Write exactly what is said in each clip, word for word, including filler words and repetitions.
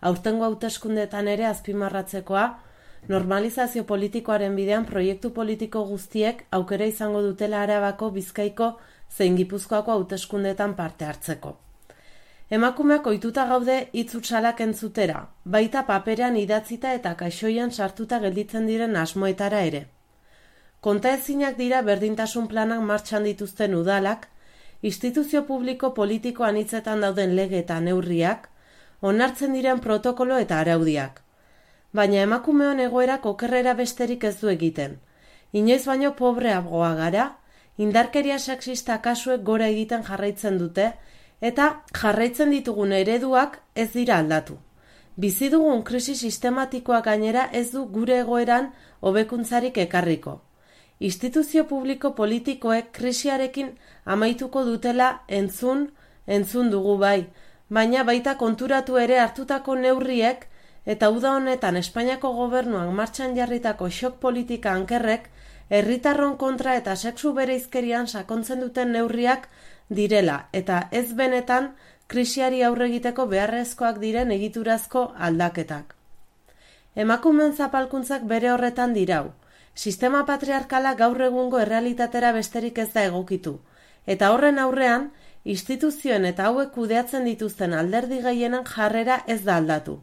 aurtengo hauteskundeetan ere azpimarratzekoa, normalizazio politikoaren bidean proiektu politiko guztiek aukera izango dutela Arabako, Bizkaiko zein Gipuzkoako hauteskundeetan parte hartzeko. Emakumeak ohituta gaude hitz hutsalak entzutera, baita paperean idatzita eta kaixoian sartuta gelditzen diren asmoetara ere. Kontaezinak dira berdintasun planak martxan dituzten udalak, instituzio publiko politiko anitzetan dauden lege eta neurriak, onartzen diren protokolo eta araudiak. Baina emakumeon egoerak okerrera besterik ez du egiten. Inoiz baino pobreagoa gara, indarkeria sexista kasuek gora egiten jarraitzen dute, eta jarraitzen ditugun ereduak ez dira aldatu. Bizi dugun krisi sistematikoak gainera ez du gure egoeran hobekuntzarik ekarriko. Instituzio publiko politikoek krisiarekin amaituko dutela entzun, entzun dugu bai, baina baita konturatu ere hartutako neurriek eta uda honetan Espainiako gobernuan martxan jarritako xok politika ankerrek herritarron kontra eta sexu bereizkerian sakontzen duten neurriak direla eta ez benetan krisiari aurre egiteko beharrezkoak diren egiturazko aldaketak. Emakumeen zapalkuntzak bere horretan dirau. Sistema patriarkala gaur egungo errealitatera besterik ez da egokitu, eta horren aurrean, instituzioen eta hauek kudeatzen dituzten alderdi gehienen jarrera ez da aldatu.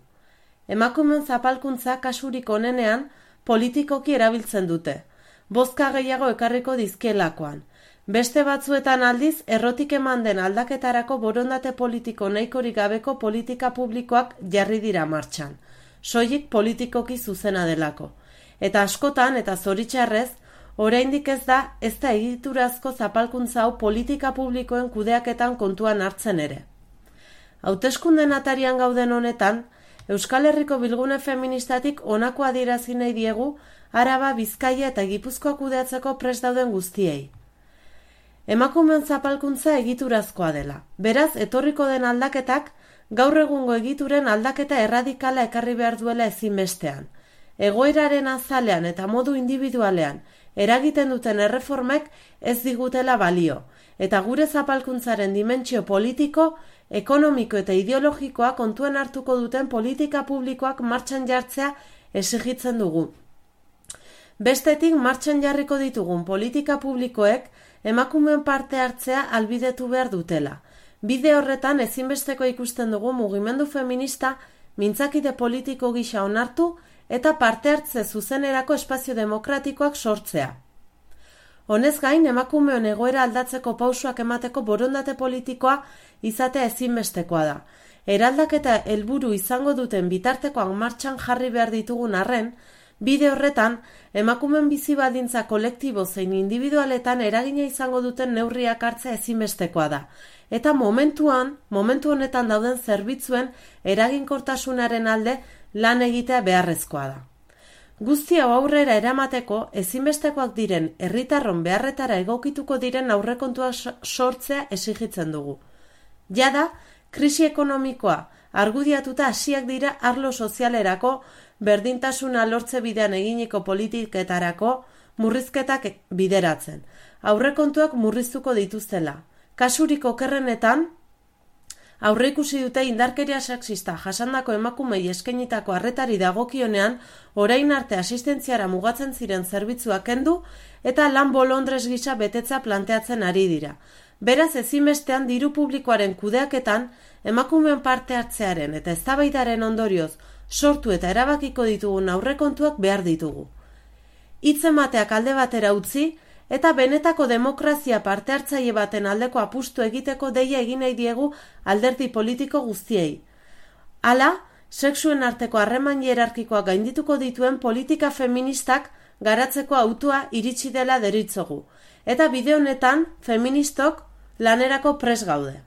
Emakumeen zapalkuntza kasurik onenean politikoki erabiltzen dute, bozka gehiago ekarriko dizkielakoan. Beste batzuetan aldiz, errotik eman den aldaketarako borondate politiko nahikorik gabeko politika publikoak jarri dira martxan, soilik politikoki zuzena delako. Eta askotan eta zoritxarrez, oraindik ez da ez da egiturazko zapalkuntza hau politika publikoen kudeaketan kontuan hartzen ere. Hauteskunden atarian gauden honetan, Euskal Herriko bilgune feministatik honako adierazi nahi diegu Araba, Bizkaia eta Gipuzkoa kudeatzeko prest dauden guztiei. Emakumeen zapalkuntza egiturazkoa dela. Beraz, etorriko den aldaketak gaur egungo egituren aldaketa erradikala ekarri behar duela ezinbestean. Egoeraren azalean eta modu individualean eragiten duten erreformek ez digutela balio, eta gure zapalkuntzaren dimentsio politiko, ekonomiko eta ideologikoa kontuan hartuko duten politika publikoak martxan jartzea exigitzen dugu. Bestetik martxan jarriko ditugun politika publikoek emakumeen parte hartzea albidetu behar dutela. Bide horretan ezinbesteko ikusten dugu mugimendu feminista mintzakide politiko gisa onartu eta parte hartze zuzenerako espazio demokratikoak sortzea. Honez gain, emakumeon egoera aldatzeko pausoak emateko borondate politikoa izatea ezinbestekoa da. Eraldaketa helburu izango duten bitartekoak martxan jarri behar ditugun arren, bide horretan, emakumeen bizi baldintza kolektibo zein individualetan eragina izango duten neurriak hartzea ezinbestekoa da. Eta momentuan, momentu honetan dauden zerbitzuen eraginkortasunaren alde lan egitea beharrezkoa da. Guzti hau aurrera eramateko ezinbestekoak diren herritarron beharretara egokituko diren aurrekontuak sortzea exigitzen dugu. Jada, krisi ekonomikoa argudiatuta hasiak dira arlo sozialerako, berdintasuna lortze bidean eginiko politiketarako murrizketak bideratzen. Aurrekontuak murriztuko dituztela. Kasurik okerrenetan, aurreikusi dute indarkeria sexista jasandako emakumei eskainitako arretari dagokionean orain arte asistentziara mugatzen ziren zerbitzuak kendu eta lan bolondrez gisa betetza planteatzen ari dira. Beraz ezinbestean diru publikoaren kudeaketan emakumeen parte hartzearen eta eztabaidaren ondorioz sortu eta erabakiko ditugun aurrekontuak behar ditugu. Hitz emateak alde batera utzi eta benetako demokrazia parte hartzaile baten aldeko apustu egiteko deia egin nahi diegu alderdi politiko guztiei. Hala, sexuen arteko harreman hierarkikoa gaindituko dituen politika feministak garatzeko autua iritsi dela deritzogu. Eta bide honetan, feministok lanerako prest gaude.